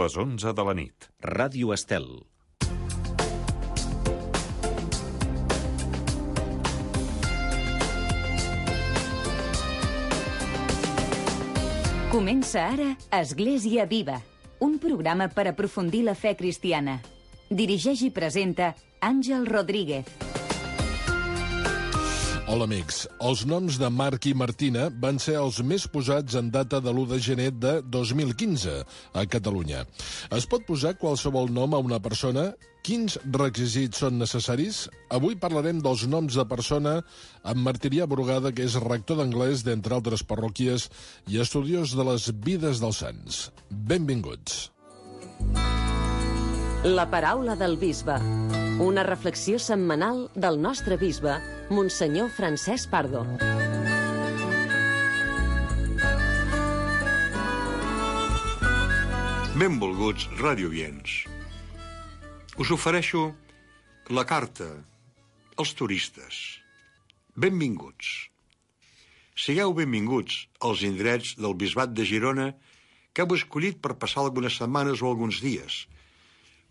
les 11 de la nit. Ràdio Estel. Comença ara Església Viva, un programa per aprofundir la fe cristiana. Dirigeix i presenta Àngel Rodríguez. Hola, amics. Els noms de Marc i Martina van ser els més posats en data de l'1 de gener de 2015 a Catalunya. Es pot posar qualsevol nom a una persona? Quins requisits són necessaris? Avui parlarem dels noms de persona amb Martirià Brugada, que és rector d'anglès d'entre altres parròquies i estudiós de les vides dels sants. Benvinguts. La paraula del bisbe. Una reflexió setmanal del nostre bisbe, Monsenyor Francesc Pardo. Benvolguts radioients. Us ofereixo la carta als turistes. Benvinguts. Sigueu benvinguts als indrets del Bisbat de Girona que heu escollit per passar algunes setmanes o alguns dies,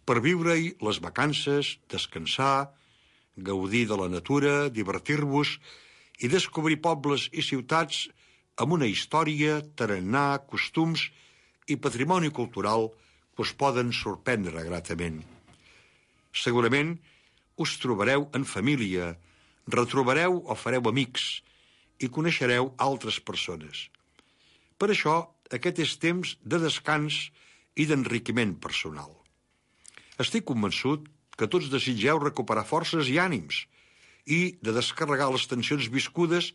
per viure-hi les vacances, descansar, gaudir de la natura, divertir-vos i descobrir pobles i ciutats amb una història, tarannà, costums i patrimoni cultural que us poden sorprendre gratament. Segurament us trobareu en família, retrobareu o fareu amics i coneixereu altres persones. Per això, aquest és temps de descans i d'enriquiment personal. Estic convençut que tots desitgeu recuperar forces i ànims i de descarregar les tensions viscudes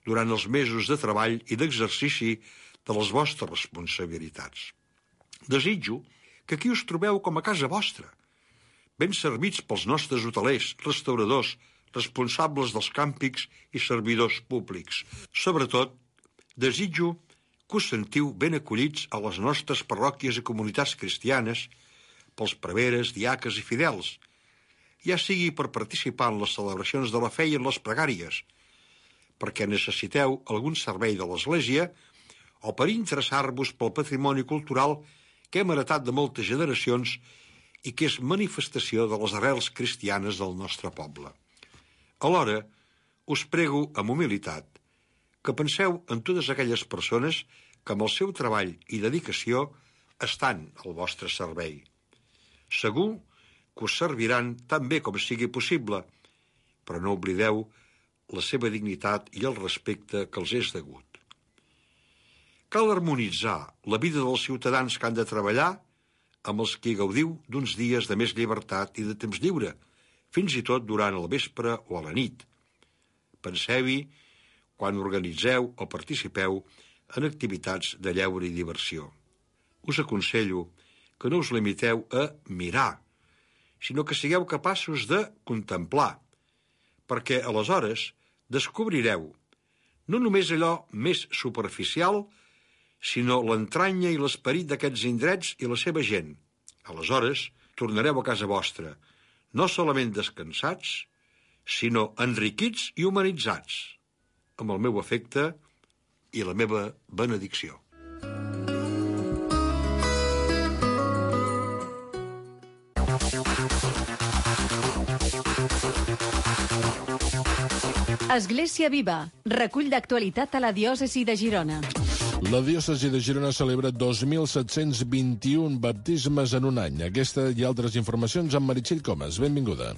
durant els mesos de treball i d'exercici de les vostres responsabilitats. Desitjo que aquí us trobeu com a casa vostra, ben servits pels nostres hotelers, restauradors, responsables dels càmpings i servidors públics. Sobretot, desitjo que us sentiu ben acollits a les nostres parròquies i comunitats cristianes, pels preveres, diaques i fidels, ja sigui per participar en les celebracions de la fe i en les pregàries, perquè necessiteu algun servei de l'Església o per interessar-vos pel patrimoni cultural que hem heretat de moltes generacions i que és manifestació de les arrels cristianes del nostre poble. Alhora, us prego amb humilitat que penseu en totes aquelles persones que amb el seu treball i dedicació estan al vostre servei. Segur que us serviran tan bé com sigui possible, però no oblideu la seva dignitat i el respecte que els és degut. Cal harmonitzar la vida dels ciutadans que han de treballar amb els que gaudiu d'uns dies de més llibertat i de temps lliure, fins i tot durant el vespre o a la nit. Penseu-hi quan organitzeu o participeu en activitats de lleure i diversió. Us aconsello que no us limiteu a mirar, sinó que sigueu capaços de contemplar, perquè aleshores descobrireu no només allò més superficial, sinó l'entranya i l'esperit d'aquests indrets i la seva gent. Aleshores tornareu a casa vostra, no solament descansats, sinó enriquits i humanitzats, amb el meu afecte i la meva benedicció. Església Viva, recull d'actualitat a la diòcesi de Girona. La diòcesi de Girona celebra 2.721 baptismes en un any. Aquesta i altres informacions amb Meritxell Comas. Benvinguda.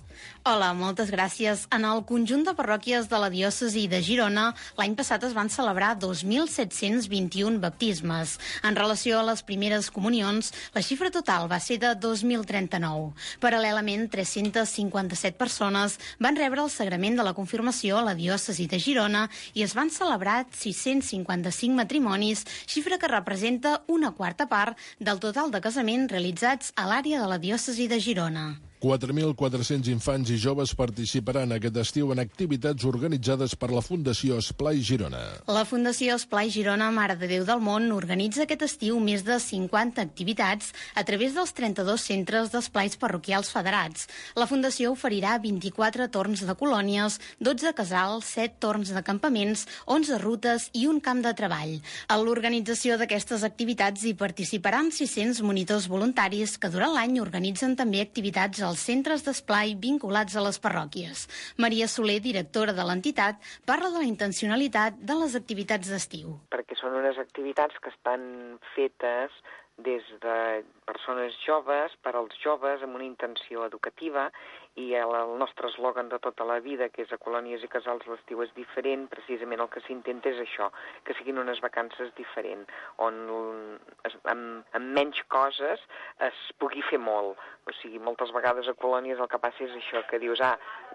Hola, moltes gràcies. En el conjunt de parròquies de la diòcesi de Girona, l'any passat es van celebrar 2.721 baptismes. En relació a les primeres comunions, la xifra total va ser de 2.039. Paral·lelament, 357 persones van rebre el sagrament de la confirmació a la diòcesi de Girona i es van celebrar 655 matrimonis, xifra que representa una quarta part del total de casaments realitzats a l'àrea de la diòcesi de Girona. 4.400 infants i joves participaran aquest estiu en activitats organitzades per la Fundació Esplai Girona. La Fundació Esplai Girona Mare de Déu del Món organitza aquest estiu més de 50 activitats a través dels 32 centres d'esplais parroquials federats. La Fundació oferirà 24 torns de colònies, 12 casals, 7 torns de campaments, 11 rutes i un camp de treball. A l'organització d'aquestes activitats hi participaran 600 monitors voluntaris que durant l'any organitzen també activitats als centres d'esplai vinculats a les parròquies. Maria Soler, directora de l'entitat, parla de la intencionalitat de les activitats d'estiu. Perquè són unes activitats que estan fetes des de persones joves, per als joves, amb una intenció educativa, i el nostre eslògan de tota la vida, que és a colònies i casals l'estiu és diferent, precisament el que s'intenta és això, que siguin unes vacances diferents, on amb menys coses es pugui fer molt. O sigui, moltes vegades a colònies el que passa és això, que dius,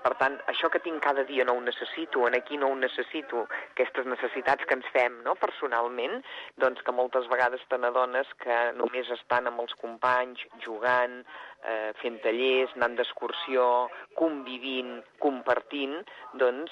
per tant, això que tinc cada dia no ho necessito, aquí no ho necessito, aquestes necessitats que ens fem, no?, personalment, doncs que moltes vegades te n'adones que només estan amb els companys, jugant, fent tallers, anant d'excursió, convivint, compartint, doncs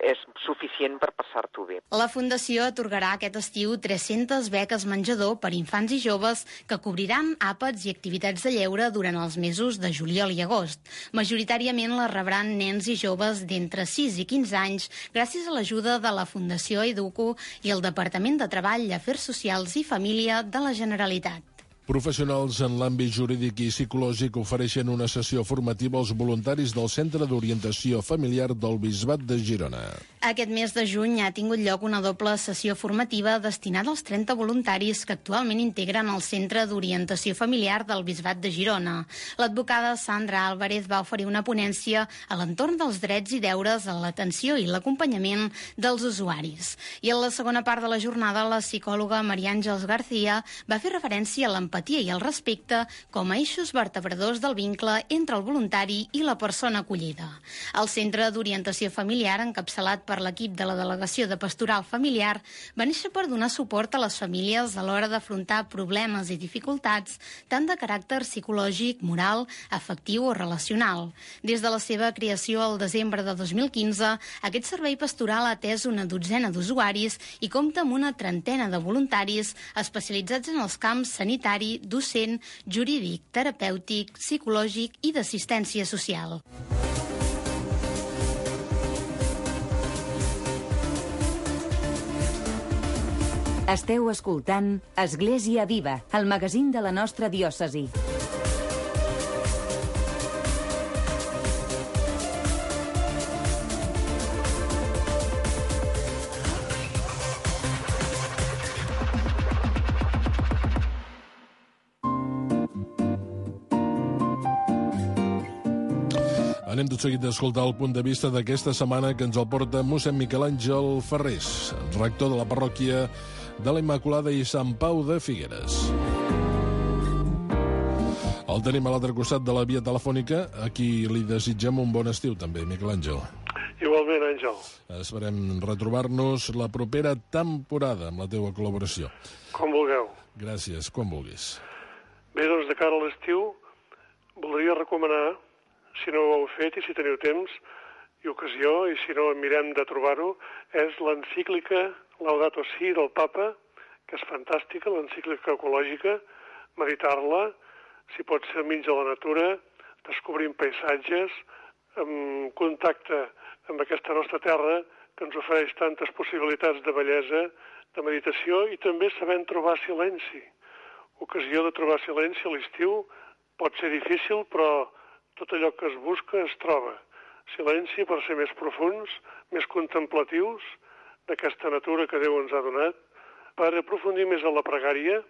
és suficient per passar-t'ho bé. La Fundació atorgarà aquest estiu 300 beques menjador per infants i joves que cobriran àpats i activitats de lleure durant els mesos de juliol i agost. Majoritàriament les rebran nens i joves d'entre 6 i 15 anys gràcies a l'ajuda de la Fundació Educo i el Departament de Treball, Afers Socials i Família de la Generalitat. Professionals en l'àmbit jurídic i psicològic ofereixen una sessió formativa als voluntaris del Centre d'Orientació Familiar del Bisbat de Girona. Aquest mes de juny ha tingut lloc una doble sessió formativa destinada als 30 voluntaris que actualment integren el Centre d'Orientació Familiar del Bisbat de Girona. L'advocada Sandra Álvarez va oferir una ponència a l'entorn dels drets i deures a l'atenció i l'acompanyament dels usuaris. I en la segona part de la jornada, la psicòloga Maria Àngels García va fer referència a l'empatia i el respecte com a eixos vertebradors del vincle entre el voluntari i la persona acollida. El Centre d'Orientació Familiar, encapçalat per l'equip de la Delegació de Pastoral Familiar, va néixer per donar suport a les famílies a l'hora d'afrontar problemes i dificultats tant de caràcter psicològic, moral, afectiu o relacional. Des de la seva creació al desembre de 2015, aquest servei pastoral ha atès una dotzena d'usuaris i compta amb una trentena de voluntaris especialitzats en els camps sanitari, docent, jurídic, terapèutic, psicològic i d'assistència social. Esteu escoltant Església Viva, el magazín de la nostra diòcesi. Anem tot seguit d'escoltar el punt de vista d'aquesta setmana que ens el porta mossèn Miquel Àngel Ferrés, rector de la parròquia de la Immaculada i Sant Pau de Figueres. El tenim a l'altre costat de la via telefònica, a qui li desitgem un bon estiu també, Miquel Àngel. Igualment, Àngel. Esperem retrobar-nos la propera temporada amb la teva col·laboració. Com vulgueu. Gràcies, quan vulguis. Bé, doncs, de cara a l'estiu, voldria recomanar, si no ho heu fet i si teniu temps i ocasió, i si no mirem de trobar-ho, és l'encíclica Laudato Si del Papa, que és fantàstica, l'encíclica ecològica, meditar-la, si pot ser enmig de la natura, descobrint paisatges, en contacte amb aquesta nostra terra que ens ofereix tantes possibilitats de bellesa, de meditació i també sabent trobar silenci. Ocasió de trobar silenci a l'estiu pot ser difícil, però tot allò que es busca es troba. Silenci per ser més profunds, més contemplatius d'aquesta natura que Déu ens ha donat, per aprofundir més en la pregària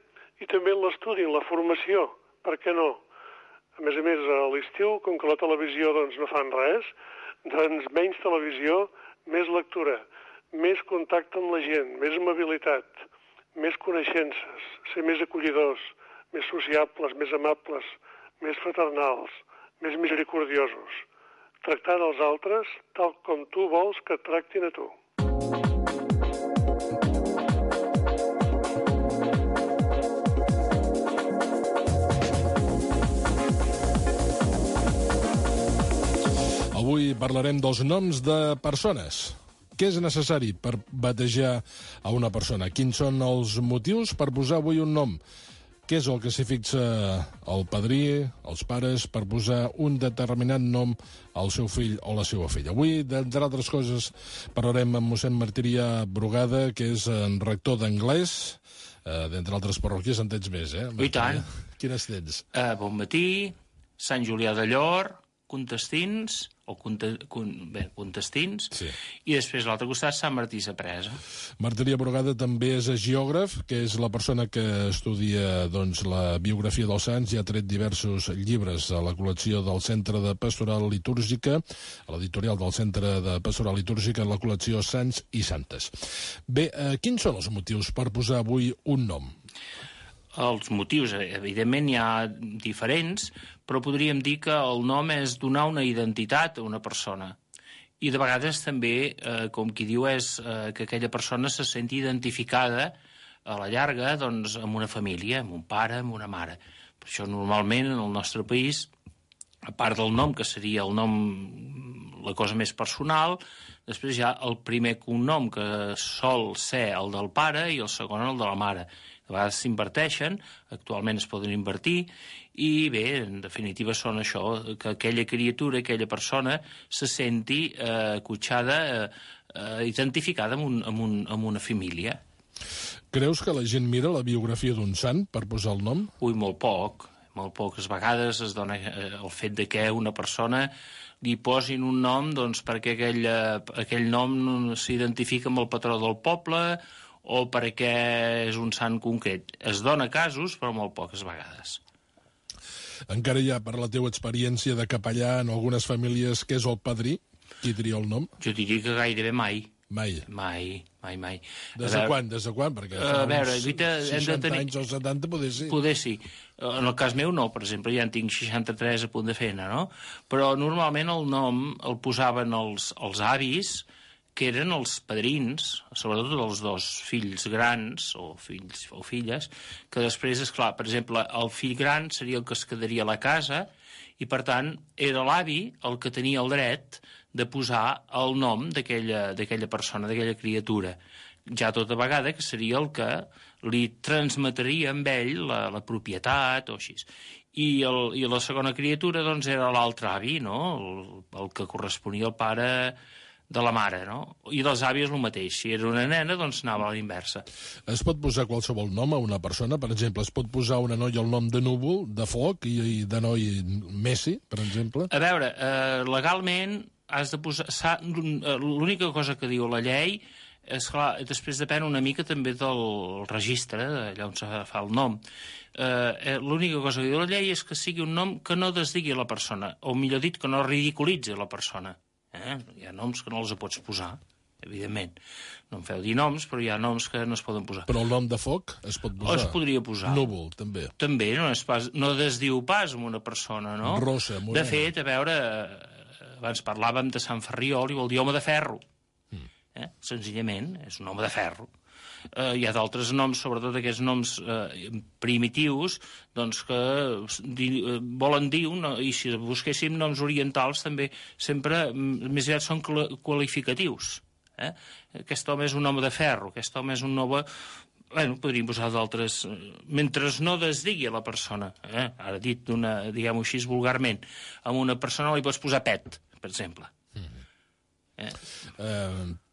i també en l'estudi, en la formació. Per què no? A més, a l'estiu, com que la televisió doncs, no fan res, doncs menys televisió, més lectura, més contacte amb la gent, més amabilitat, més coneixences, ser més acollidors, més sociables, més amables, més fraternals, més misericordiosos, tractant els altres tal com tu vols que et tractin a tu. Avui parlarem dels noms de persones. Què és necessari per batejar a una persona? Quins són els motius per posar avui un nom? Què és el que s'hi fixa el padrí, els pares, per posar un determinat nom al seu fill o la seva filla? Avui, d'entre altres coses, parlarem amb mossèn Martirià Brugada, que és rector d'anglès, d'entre altres parròquies. En tens més, eh? I tant. Quines tens? Bon matí, Sant Julià de Llor, Contestins, Contestins, sí. I després a l'altre costat Sant Martí Sapresa. Martirià Brugada també és geògraf, que és la persona que estudia la biografia dels sants i ha tret diversos llibres a la col·lecció del Centre de Pastoral Litúrgica, a l'editorial del Centre de Pastoral Litúrgica, en la col·lecció Sants i Santes. Bé, quins són els motius per posar avui un nom? Els motius, evidentment, hi ha diferents, però podríem dir que el nom és donar una identitat a una persona. I de vegades també, com qui diu, és que aquella persona se senti identificada a la llarga amb una família, amb un pare, amb una mare. Per això normalment en el nostre país, a part del nom, que seria el nom, la cosa més personal, després hi ha el primer cognom, que sol ser el del pare, i el segon el de la mare. De vegades s'inverteixen, actualment es poden invertir, i bé, en definitiva són això, que aquella criatura, aquella persona, se senti acotxada, identificada amb una família. Creus que la gent mira la biografia d'un sant per posar el nom? Ui, molt poc. Molt poques vegades es dona el fet de que una persona li posin un nom perquè aquell nom s'identifica amb el patró del poble o perquè és un sant concret. Es dona casos, però molt poques vegades. Encara hi ha, per la teva experiència de capellà en algunes famílies, què és el padrí? Qui tria el nom? Jo diria que gairebé mai. Mai? Mai. Des de quan? Perquè fa uns 60 anys o 70 poder sí. Poder sí. En el cas meu no, per exemple, ja en tinc 63 a punt de feina, no? Però normalment el nom el posaven els avis, que eren els padrins, sobretot dels dos fills grans, o fills o filles, que després, esclar, per exemple, el fill gran seria el que es quedaria a la casa, i per tant era l'avi el que tenia el dret de posar el nom d'aquella persona, d'aquella criatura. Ja tota vegada que seria el que li transmetria amb ell la propietat o així. I la segona criatura doncs era l'altre avi, no? El que corresponia al pare de la mare, no? I dels avis el mateix. Si era una nena, doncs anava a la inversa. Es pot posar qualsevol nom a una persona? Per exemple, es pot posar a una noia el nom de Núvol, de Foc, i de noi Messi, per exemple? A veure, legalment has de posar... L'única cosa que diu la llei és, clar, després depèn una mica també del registre, allà on se fa el nom. L'única cosa que diu la llei és que sigui un nom que no desdigui la persona, o millor dit, que no ridiculitzi la persona. Hi ha noms que no els pots posar, evidentment. No em feu dir noms, però hi ha noms que no es poden posar. Però el nom de Foc es pot posar? Es podria posar. Núvol, també. També, no desdiu pas amb una persona, no? Rosa, morena. De fet, a veure, abans parlàvem de Sant Ferriol i vol dir home de ferro. Senzillament, és un home de ferro. Hi ha d'altres noms, sobretot aquests noms primitius, doncs que volen dir, i si busquéssim noms orientals també sempre més aviat són qualificatius. Aquest home és un home de ferro, aquest home és un home... Bueno, podríem posar d'altres... Mentre no desdigui a la persona, ara dit diguem-ho així vulgarment, a una persona li pots posar pet, per exemple.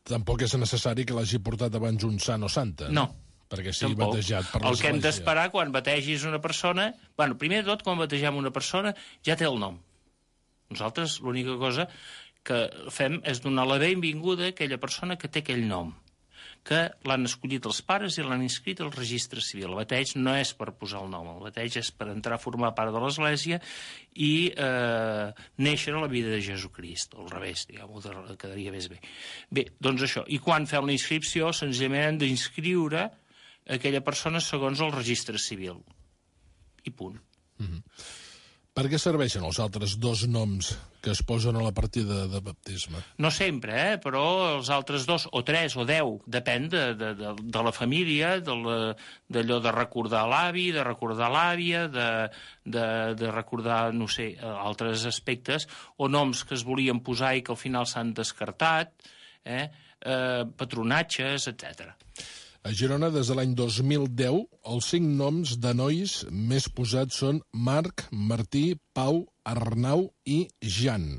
Tampoc és necessari que l'hagi portat abans un sant o santa. No. Perquè sigui batejat per l'església. El que hem d'esperar quan bategis una persona... Bueno, primer de tot, quan bategem una persona, ja té el nom. Nosaltres l'única cosa que fem és donar la benvinguda a aquella persona que té aquell nom, que l'han escollit els pares i l'han inscrit al registre civil. El bateig no és per posar el nom, el bateig és per entrar a formar part de l'Església i néixer a la vida de Jesucrist, o al revés, diguem-ho, quedaria més bé. Bé, doncs això. I quan fem la inscripció, senzillament hem d'inscriure aquella persona segons el registre civil. I punt. Per què serveixen els altres 2 noms que es posen a la partida de baptisme? No sempre, però els altres 2, o 3, o 10, depèn de la família, d'allò de recordar l'avi, de recordar l'àvia, de recordar, no sé, altres aspectes, o noms que es volien posar i que al final s'han descartat, patronatges, etc. A Girona, des de l'any 2010, els 5 noms de nois més posats són Marc, Martí, Pau, Arnau i Jan.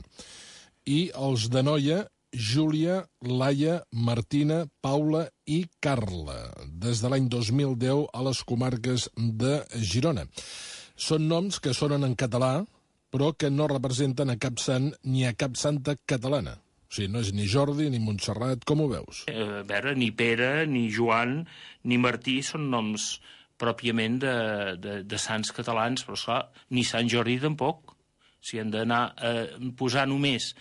I els de noia, Júlia, Laia, Martina, Paula i Carla, des de l'any 2010 a les comarques de Girona. Són noms que sonen en català, però que no representen a cap sant ni a cap santa catalana. O sigui, no és ni Jordi ni Montserrat, com ho veus? A veure, ni Pere, ni Joan, ni Martí són noms pròpiament de sants catalans, però esclar, ni Sant Jordi tampoc. Si han d'anar a posar només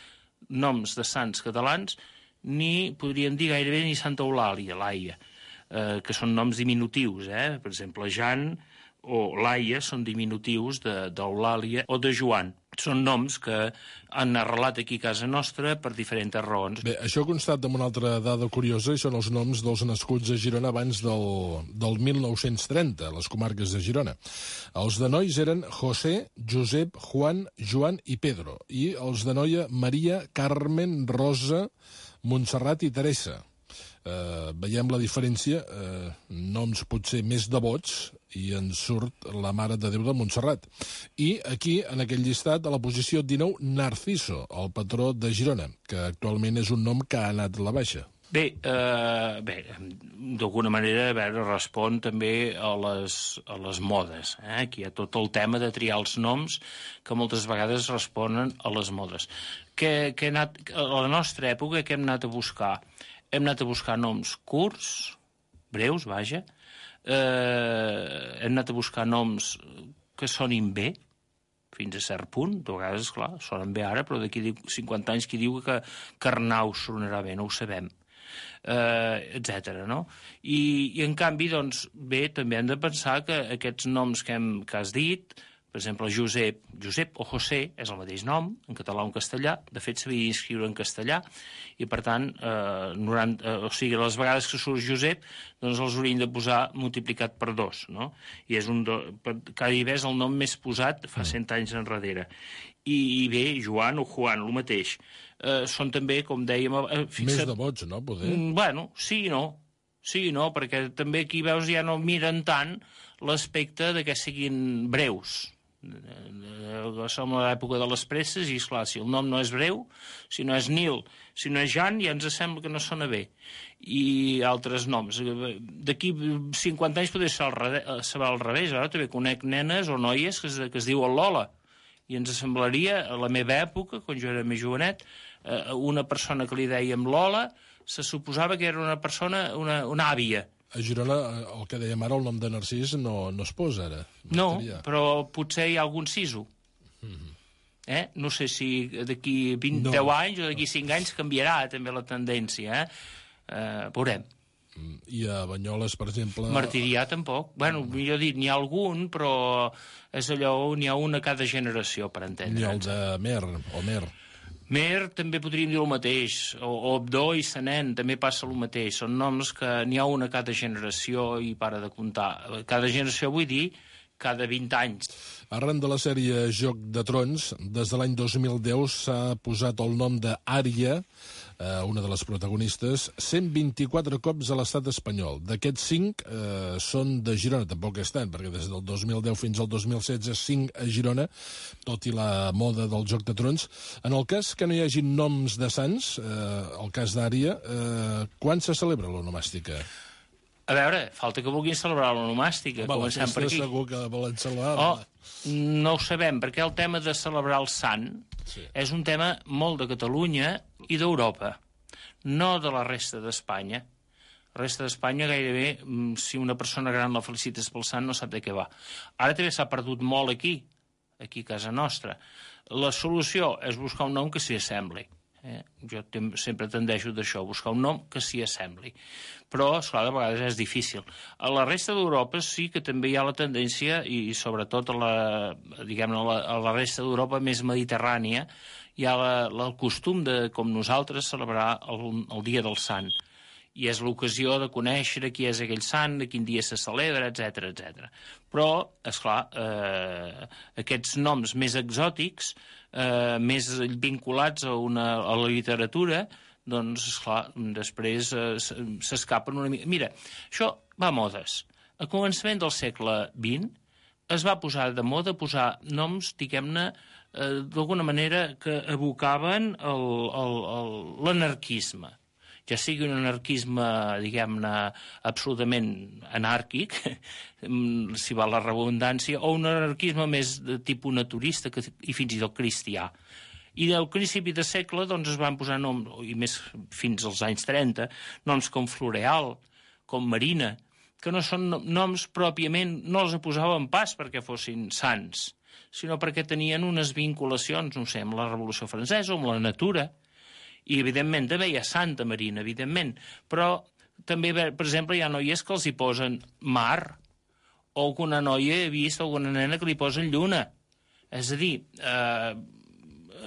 noms de sants catalans, ni, podríem dir gairebé, ni Santa Eulàlia, Laia, que són noms diminutius, Per exemple, Jan o Laia són diminutius d'Eulàlia o de Joan. Són noms que han arrelat aquí a casa nostra per diferents raons. Bé, això constata amb una altra dada curiosa, i són els noms dels nascuts a Girona abans del 1930, a les comarques de Girona. Els de nois eren José, Josep, Juan, Joan i Pedro, i els de noia Maria, Carmen, Rosa, Montserrat i Teresa. Veiem la diferència, noms potser més devots, i en surt la Mare de Déu de Montserrat. I aquí, en aquell llistat, a la posició 19, Narciso, el patró de Girona, que actualment és un nom que ha anat a la baixa. Bé, d'alguna manera, a veure, respon també a les modes. Aquí hi ha tot el tema de triar els noms que moltes vegades responen a les modes. A la nostra època, què hem anat a buscar? Hem anat a buscar noms curts, breus, vaja. Hem anat a buscar noms que sonin bé, fins a cert punt. De vegades, clar, sonen bé ara, però d'aquí 50 anys qui diu que Arnau sonarà bé, no ho sabem, etc. No? I en canvi, doncs, bé, també hem de pensar que aquests noms que has dit, per exemple, Josep o José és el mateix nom, en català o en castellà. De fet, s'havia d'inscriure en castellà, i per tant, les vegades que surt Josep, doncs els haurien de posar multiplicat per 2, no? I és cada dia és el nom més posat fa 100 anys enrere. I bé, Joan o Juan, el mateix. Són també, com dèiem... Més devots, no, poder? Bueno, sí i no. Sí i no, perquè també aquí veus ja no miren tant l'aspecte de que siguin breus. Som a l'època de les presses i, esclar, si el nom no és breu, si no és Nil, si no és Jan, ja ens sembla que no sona bé. I altres noms. D'aquí 50 anys podria ser al revés. Ara també conec nenes o noies que es diuen Lola, i ens semblaria, a la meva època, quan jo era més jovenet, una persona que li dèiem Lola se suposava que era una persona, una àvia. A Girona, el que dèiem ara, el nom de Narcís no es posa ara. No, però potser hi ha algun siso. No sé si d'aquí 10 anys o d'aquí 5 anys canviarà també la tendència. Veurem. I a Banyoles, per exemple... Martirià tampoc. Bueno, millor dit, n'hi ha algun, però és allò, n'hi ha un a cada generació, per entendre. N'hi ha el de Mer, o Mer. Mer també podríem dir el mateix, o Abdó i Sanent també passa el mateix. Són noms que n'hi ha una a cada generació i para de comptar. Cada generació, vull dir, cada 20 anys. Arran de la sèrie Joc de Trons, des de l'any 2010 s'ha posat el nom d'Ària, una de les protagonistes, 124 cops a l'estat espanyol. D'aquests 5 són de Girona, tampoc és tant, perquè des del 2010 fins al 2016, 5 a Girona, tot i la moda del Joc de Trons. En el cas que no hi hagi noms de sants, el cas d'Ària, quan se celebra l'onomàstica? A veure, falta que vulguin celebrar l'onomàstica. Comencem per aquí. Segur que volen celebrar. No ho sabem, perquè el tema de celebrar el sant és un tema molt de Catalunya i d'Europa, no de la resta d'Espanya. La resta d'Espanya gairebé, si una persona gran la felicites pel sant, no sap de què va. Ara també s'ha perdut molt aquí a casa nostra. La solució és buscar un nom que s'hi assembli. Jo sempre tendeixo d'això, buscar un nom que s'hi assembli. Però, esclar, de vegades és difícil. A la resta d'Europa sí que també hi ha la tendència, i sobretot a la resta d'Europa més mediterrània, hi ha el costum de, com nosaltres, celebrar el Dia del Sant. I és l'ocasió de conèixer qui és aquell sant, de quin dia se celebra, etc etc. Però, esclar, aquests noms més exòtics, més vinculats a la literatura, doncs, esclar, després s'escapen una mica. Mira, això va a modes. A començament del segle XX es va posar de moda posar noms, diguem-ne, d'alguna manera que evocaven l'anarquisme. Ja sigui un anarquisme, diguem-ne, absolutament anàrquic, si va la redundància, o un anarquisme més de tipus naturista i fins i tot cristià. I del principi de segle doncs, es van posar noms, i més fins als anys 30, noms com Floreal, com Marina, que no són noms pròpiament, no els posaven pas perquè fossin sants, sinó perquè tenien unes vinculacions, no sé, amb la Revolució Francesa o amb la natura. I, evidentment, també hi ha Santa Marina, evidentment, però també, per exemple, hi ha noies que els hi posen Mar, o alguna noia he vist, alguna nena que li posen Lluna. És a dir,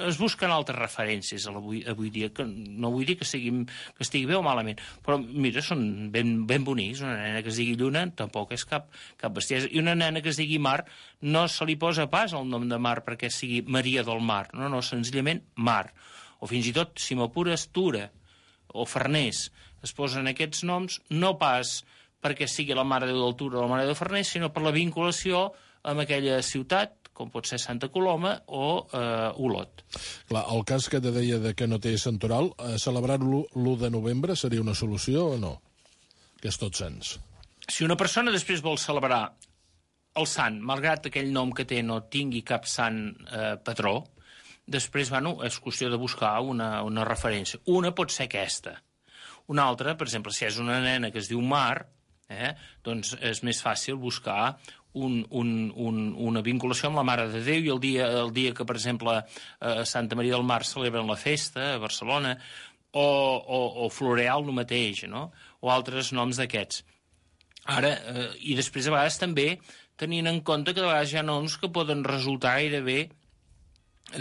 es busquen altres referències avui dia, que no vull dir que estigui bé o malament, però, mira, són ben bonics. Una nena que es digui Lluna tampoc és cap bestiesa. I una nena que es digui Mar no se li posa pas el nom de Mar perquè sigui Maria del Mar, no, senzillament Mar. O fins i tot, si m'apures, Tura o Farners. Es posen aquests noms no pas perquè sigui la Mare de Déu del Tura o la Mare de Déu Farners, sinó per la vinculació amb aquella ciutat, com pot ser Santa Coloma o Olot. Clar, el cas que te deia de que no té santoral, celebrar-lo l'1 de novembre seria una solució o no? Que és Tots Sants. Si una persona després vol celebrar el sant, malgrat aquell nom que té no tingui cap sant patró, després, és qüestió de buscar una referència. Una pot ser aquesta. Una altra, per exemple, si és una nena que es diu Mar, doncs és més fàcil buscar una vinculació amb la Mare de Déu, i el dia que, per exemple, a Santa Maria del Mar celebren la festa, a Barcelona, o Floreal el mateix, no? O altres noms d'aquests. Ara, i després a vegades també tenint en compte que a vegades hi ha noms que poden resultar gairebé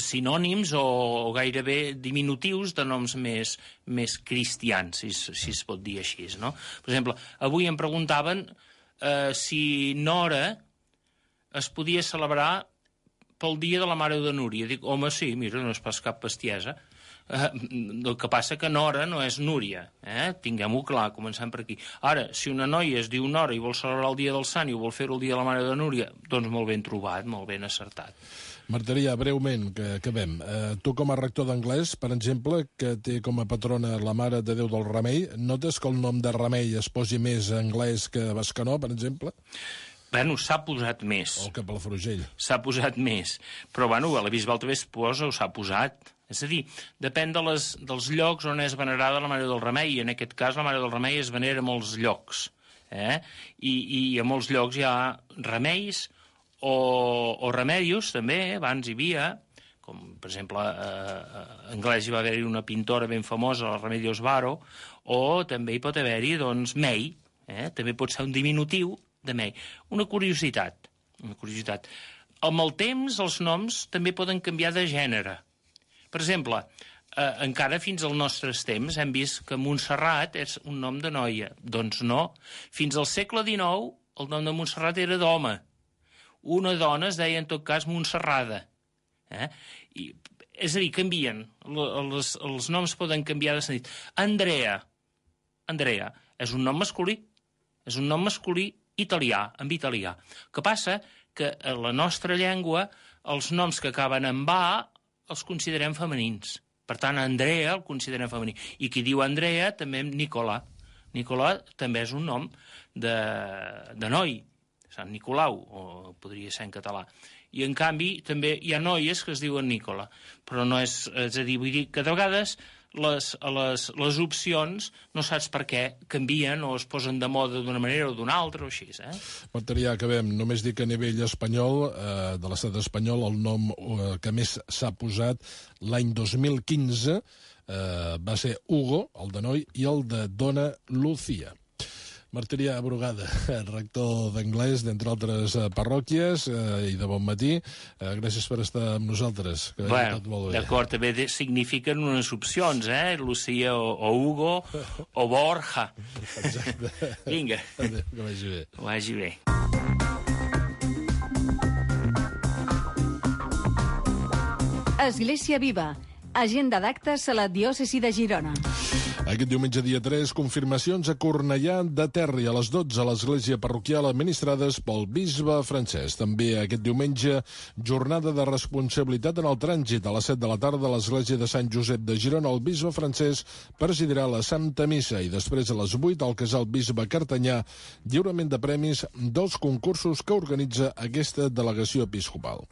sinònims o gairebé diminutius de noms més cristians, si es pot dir així, no? Per exemple, avui em preguntaven si Nora es podia celebrar pel dia de la Mare de Núria. Dic, home, sí, mira, no és pas cap bestiesa. El que passa que Nora no és Núria, tinguem-ho clar, començant per aquí. Ara, si una noia es diu Nora i vol celebrar el dia del Sant i vol fer-ho el dia de la Mare de Núria, doncs molt ben trobat, molt ben acertat. Martaria, breument, que acabem. Tu, com a rector d'anglès, per exemple, que té com a patrona la Mare de Déu del Remei, notes que el nom de Remei es posi més anglès que Bescanó, per exemple? Bueno, s'ha posat més. O que Palafrugell. S'ha posat més. Però, bueno, a la Bisbal també es posa o s'ha posat. És a dir, depèn dels llocs on és venerada la Mare del Remei, i en aquest cas la Mare del Remei es venera a molts llocs. I a molts llocs hi ha remeis o remedios, també, abans hi havia, com, per exemple, a Anglès hi va haver-hi una pintora ben famosa, la Remedios Varo, o també hi pot haver-hi, doncs, May, també pot ser un diminutiu de May. Una curiositat. Amb el temps, els noms també poden canviar de gènere. Per exemple, encara fins als nostres temps hem vist que Montserrat és un nom de noia. Doncs no. Fins al segle XIX, el nom de Montserrat era d'home. Una dona es deia, en tot cas, Montserrada. És a dir, canvien. Els noms poden canviar de sentit. Andrea és un nom masculí. És un nom masculí italià, en italià. El que passa que a la nostra llengua els noms que acaben en va els considerem femenins. Per tant, Andrea el considerem femení. I qui diu Andrea també Nicolà. Nicolà també és un nom de noi. Sant Nicolau, o podria ser en català. I, en canvi, també hi ha noies que es diuen Nicola. Però no és a dir, vull dir que de vegades les opcions no saps per què canvien o es posen de moda d'una manera o d'una altra o així, Martirià, acabem. Només dic que a nivell espanyol, de l'estat espanyol, el nom que més s'ha posat l'any 2015 va ser Hugo, el de noi, i el de dona, Lucía. Martirià Brugada, rector d'anglès, d'entre altres parròquies, i de bon matí. Gràcies per estar amb nosaltres. Bueno, d'acord, també signifiquen unes opcions, Lucía o Hugo o Borja. Exacte. Vinga. Adéu, que vagi bé. Que vagi bé. Església Viva. Agenda d'actes a la diòcesi de Girona. Aquest diumenge, dia 3, confirmacions a Cornellà de Terri a les 12 a l'església parroquial administrades pel bisbe Francesc. També aquest diumenge, jornada de responsabilitat en el trànsit. A les 7 de la tarda a l'església de Sant Josep de Girona, el bisbe Francesc presidirà la Santa Missa i després a les 8 al casal bisbe Cartanyà, lliurament de premis dels concursos que organitza aquesta delegació episcopal.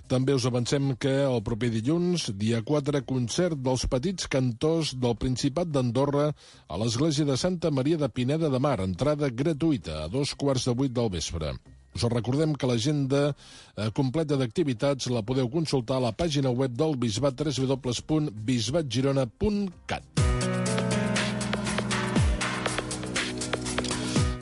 També us avancem que el proper dilluns, dia 4, concert dels petits cantors del Principat d'Andorra a l'església de Santa Maria de Pineda de Mar, entrada gratuïta a 2:15 del vespre. Us recordem que l'agenda completa d'activitats la podeu consultar a la pàgina web del Bisbat, www.bisbatgirona.cat.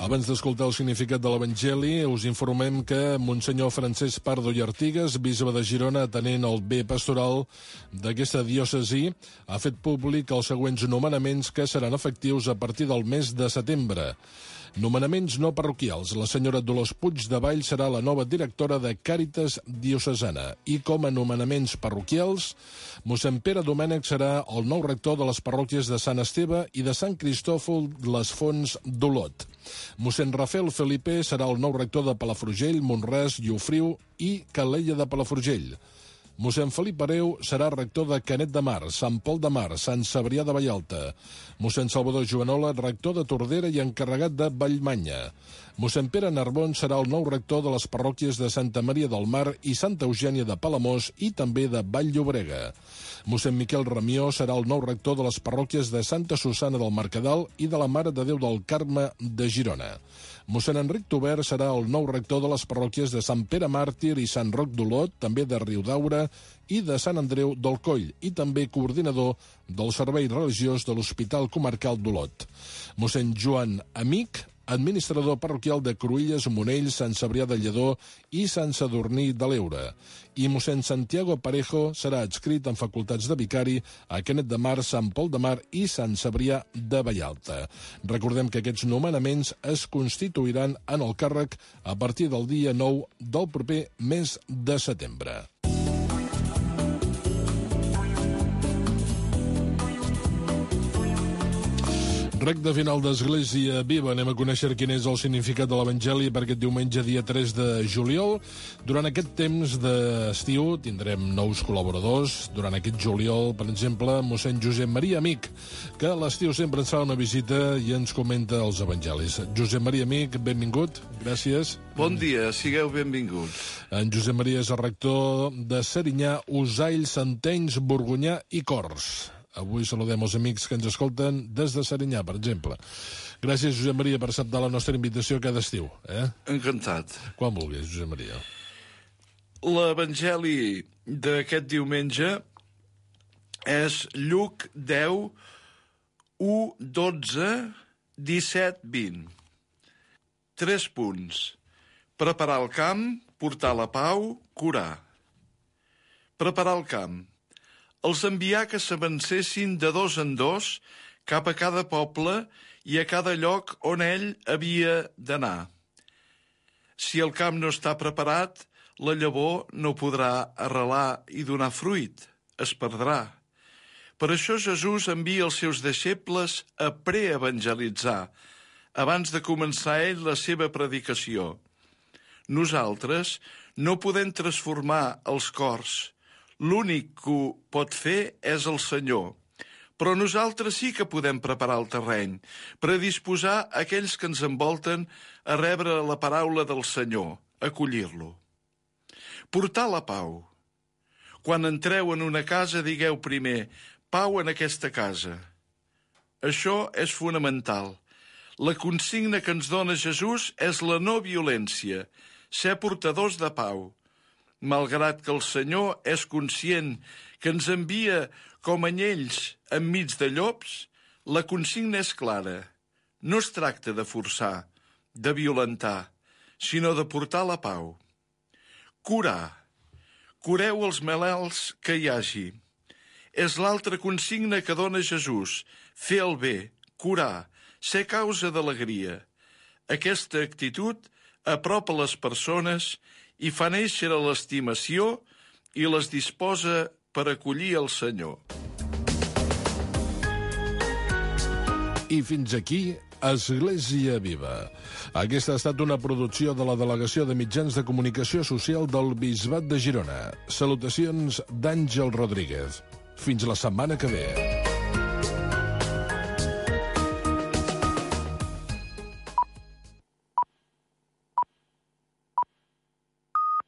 Abans d'escoltar el significat de l'Evangeli, us informem que Monsenyor Francesc Pardo i Artigas, bisbe de Girona, atenent el bé pastoral d'aquesta diòcesi, ha fet públic els següents nomenaments que seran efectius a partir del mes de setembre. Nomenaments no parroquials. La senyora Dolors Puigdevall serà la nova directora de Càritas Diocesana. I com a nomenaments parroquials, mossèn Pere Domènech serà el nou rector de les parròquies de Sant Esteve i de Sant Cristòfol les Fonts d'Olot. Mossèn Rafael Felipe serà el nou rector de Palafrugell, Mont-ras, Llofriu i Calella de Palafrugell. Mossèn Felip Areu serà rector de Canet de Mar, Sant Pol de Mar, Sant Cebrià de Vallalta. Mossèn Salvador Joanola, rector de Tordera i encarregat de Vallmanya. Mossèn Pere Narbon serà el nou rector de les parròquies de Santa Maria del Mar i Santa Eugènia de Palamós i també de Vall-llobrega. Mossèn Miquel Ramió serà el nou rector de les parròquies de Santa Susana del Mercadal i de la Mare de Déu del Carme de Girona. Mossèn Enric Tobert serà el nou rector de les parròquies de Sant Pere Màrtir i Sant Roc d'Olot, també de Riudaura i de Sant Andreu del Coll, i també coordinador del servei religiós de l'Hospital Comarcal d'Olot. Mossèn Joan Amic, administrador parroquial de Cruïlles, Monells, Sant Cebrià de Lledó i Sant Sadurní de l'Eure. I mossèn Santiago Parejo serà adscrit en facultats de vicari a Canet de Mar, Sant Pol de Mar i Sant Cebrià de Vallalta. Recordem que aquests nomenaments es constituiran en el càrrec a partir del dia 9 del proper mes de setembre. Recte final d'Església Viva. Anem a conèixer quin és el significat de l'Evangeli per aquest diumenge, dia 3 de juliol. Durant aquest temps d'estiu tindrem nous col·laboradors. Durant aquest juliol, per exemple, mossèn Josep Maria Amic, que a l'estiu sempre ens fa una visita i ens comenta els evangelis. Josep Maria Amic, benvingut. Gràcies. Bon dia, sigueu benvinguts. En Josep Maria és el rector de Serinyà, Usaills, Santenys, Borgonyà i Corts. Avui saludem els amics que ens escolten des de Serinyà, per exemple. Gràcies, Josep Maria, per acceptar la nostra invitació cada estiu. Encantat. Quan vulguis, Josep Maria. L'Evangeli d'aquest diumenge és Lluc 10, 1, 12, 17, 20. 3 punts. Preparar el camp, portar la pau, curar. Preparar el camp. Els envià que s'avancessin de 2 en 2 cap a cada poble i a cada lloc on ell havia d'anar. Si el camp no està preparat, la llavor no podrà arrelar i donar fruit, es perdrà. Per això Jesús envia els seus deixebles a preevangelitzar, abans de començar ell la seva predicació. Nosaltres no podem transformar els cors. L'únic que ho pot fer és el Senyor. Però nosaltres sí que podem preparar el terreny, predisposar aquells que ens envolten a rebre la paraula del Senyor, acollir-lo. Portar la pau. Quan entreu en una casa, digueu primer, pau en aquesta casa. Això és fonamental. La consigna que ens dona Jesús és la no violència, ser portadors de pau. Malgrat que el Senyor és conscient que ens envia com anyells enmig de llops, la consigna és clara. No es tracta de forçar, de violentar, sinó de portar la pau. Curar. Cureu els malalts que hi hagi. És l'altra consigna que dona Jesús, fer el bé, curar, ser causa d'alegria. Aquesta actitud apropa les persones i fa néixer l'estimació i les disposa per acollir el Senyor. I fins aquí, Església Viva. Aquesta ha estat una producció de la Delegació de Mitjans de Comunicació Social del Bisbat de Girona. Salutacions d'Àngel Rodríguez. Fins la setmana que ve.